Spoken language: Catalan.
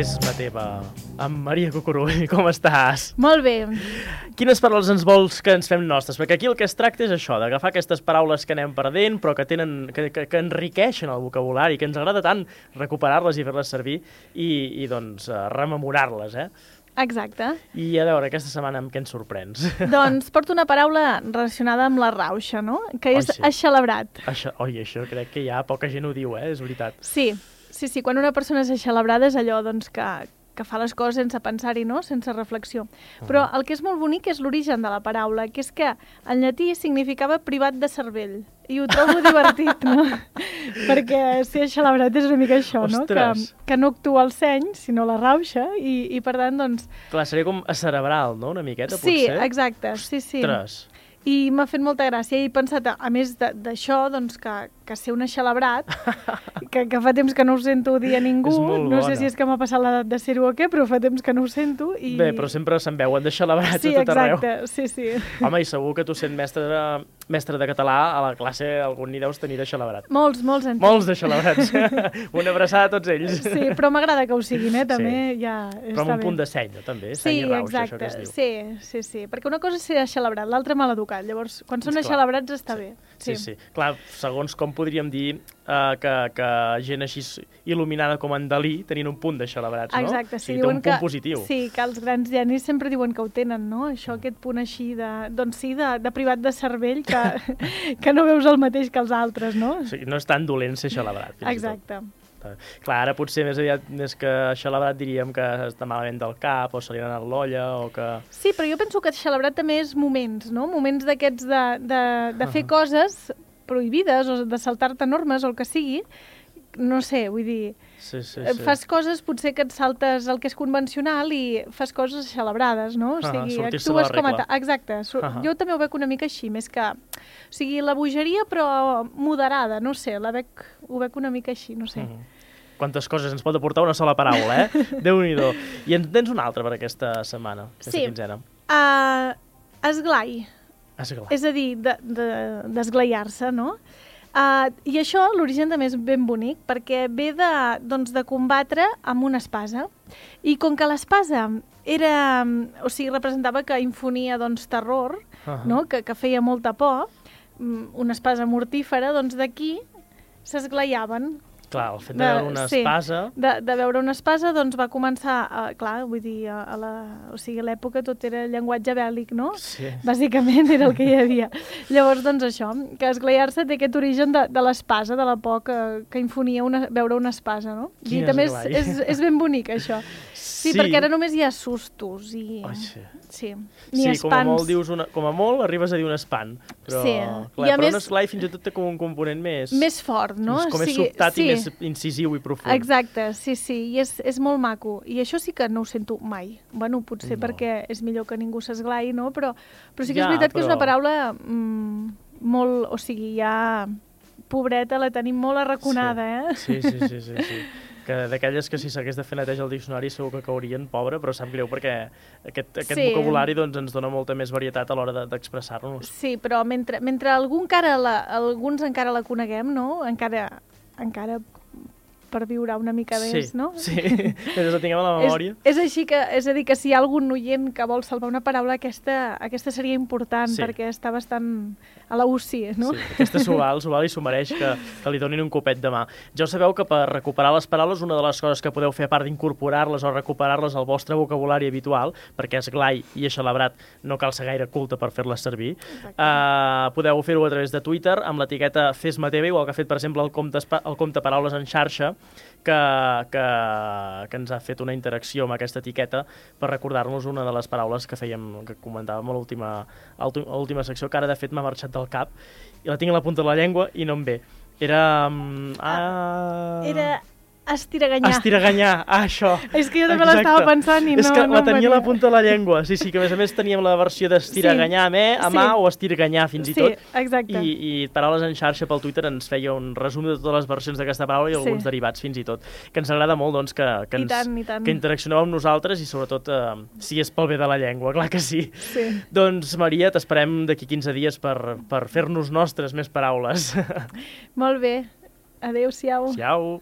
Fes-me teva, amb Maria Cucurull, com estàs? Molt bé. Quines paraules ens vols que ens fem nostres? Perquè aquí el que es tracta és això, d'agafar aquestes paraules que anem perdent, però que que enriqueixen el vocabulari, que ens agrada tant recuperar-les i fer-les servir i doncs, rememorar-les, Exacte. I a veure, aquesta setmana amb què ens sorprens? Doncs porto una paraula relacionada amb la rauxa, no? Que és sí. Eixelebrat. Això crec que ja poca gent ho diu, és veritat. Sí. Quan una persona és eixelebrada és allò doncs, que fa les coses sense pensar-hi, no? Sense reflexió. Però el que és molt bonic és l'origen de la paraula, que és que en llatí significava privat de cervell. I ho trobo divertit, no? Perquè ser eixelebrat és una mica això, no? Que no actua el seny, sinó la rauxa, i per tant, doncs... Clar, seria com acerebral, no? Una miqueta, potser? Sí, exacte, sí. Ostres! I m'ha fet molta gràcia i he pensat, a més d'això, doncs, que ser un eixelebrat, que fa temps que no ho sento dir a ningú, no sé si és que m'ha passat l'edat de ser-ho o què, però fa temps que no ho sento. Bé, però sempre se'n veuen d'eixelebrats a tot arreu. Sí, exacte, sí. Home, i segur que tu sent mestre de català, a la classe algun n'hi deus tenir d'eixelebrat. Molts en Molts d'eixelebrats. Una abraçada a tots ells. Sí, però m'agrada que ho siguin, també ja està bé. Però amb un punt de seny, també, seny i rauxa, això que es diu. Sí, perquè una cosa és ser eixelebrat, l'altra maleducat. Llavors, quan són eixelebrats està bé. Sí. Clar, segons com podríem dir que gent així il·luminada com en Dalí tenien un punt d'eixelebrats, no? Exacte, sí. Té un punt positiu. Sí, que els grans genis sempre diuen que ho tenen, no? Això, aquest punt així de privat de cervell que no veus el mateix que els altres, no? Sí, no és tan dolent ser eixelebrat. Exacte. Clar, ara potser més que eixelebrat diríem que està malament del cap o se li ha anat l'olla o que... Sí, però jo penso que eixelebrat també és moments, no? Moments d'aquests de fer coses prohibides o de saltar-te normes o el que sigui. No sé, vull dir... Sí. Fas coses, potser que et saltes el que és convencional i fas coses eixelebrades, no? O sigui, actues com a... Exacte. Jo també ho veig una mica així, més que... O sigui, la bogeria, però moderada, no sé, ho veig una mica així, no sé. Quantes coses ens pot aportar una sola paraula, Déu-n'hi-do. I en tens una altra per aquesta setmana, aquesta quinzena. Esglai. És a dir, d'esglaiar-se, no? I això, l'origen també és ben bonic, perquè ve de combatre amb una espasa. I com que l'espasa representava que infonia terror, no? Que feia molta por, una espasa mortífera, doncs d'aquí s'esglaiaven. Clar, el fet de veure una espasa... De veure una espasa, doncs va començar, clar, vull dir, a l'època tot era llenguatge bèl·lic, no? Sí. Bàsicament era el que hi havia. Llavors, doncs això, que esglaiar-se té aquest origen de l'espasa, de la por que infonia veure una espasa, no? I també és ben bonic, això. Sí, perquè ara només hi ha sustos i... Sí, ni espants. Sí, com a molt arribes a dir un espant. Però, clar, però un esglai fins i tot té com un component més... Més fort, no? Com més sobtat i més incisiu i profund. Exacte, sí, i és molt maco. I això sí que no ho sento mai. Bueno, potser perquè és millor que ningú s'esglai, no? Però sí que és veritat que és una paraula molt... O sigui, ja... Pobreta, la tenim molt arraconada, Sí. Que d'aquelles que si s'hagués de fer neteja al diccionari segur que caurien, pobra, però sap greu perquè aquest vocabulari ens dona molta més varietat a l'hora d'expressar-nos. Sí, però mentre alguns encara la coneguem, no? Encara perviurà una mica més, no? Sí, mentre la tinguem a la memòria. És a dir, que si hi ha algun oient que vol salvar una paraula, aquesta seria important, perquè està bastant a la UCI, no? Sí, aquesta s'ho val i s'ho mereix que li donin un copet de mà. Ja ho sabeu que per recuperar les paraules, una de les coses que podeu fer, a part d'incorporar-les o recuperar-les al vostre vocabulari habitual, perquè esglai i eixelebrat no cal ser gaire culte per fer-les servir, podeu fer-ho a través de Twitter amb l'etiqueta Fes-me teva, igual que ha fet, per exemple, el compte Paraules en xarxa, que ens ha fet una interacció amb aquesta etiqueta per recordar-nos una de les paraules que comentàvem a l'última secció, que ara de fet m'ha marxat del cap i la tinc a la punta de la llengua i no em ve. Era Estiraganyar, això. És que jo també l'estava pensant i no... És que la tenia a la punta de la llengua. Sí, que a més teníem la versió d'estiraganyar a mà o estirganyar fins i tot. Sí, exacte. I Paraules en xarxa pel Twitter ens feia un resum de totes les versions d'aquesta paraula i alguns derivats fins i tot. Que ens agrada molt doncs, que interaccioneu amb nosaltres i sobretot si és pel bé de la llengua, clar que sí. Doncs Maria, t'esperem d'aquí 15 dies per fer-nos nostres més paraules. Molt bé. Adéu-siau. Siau.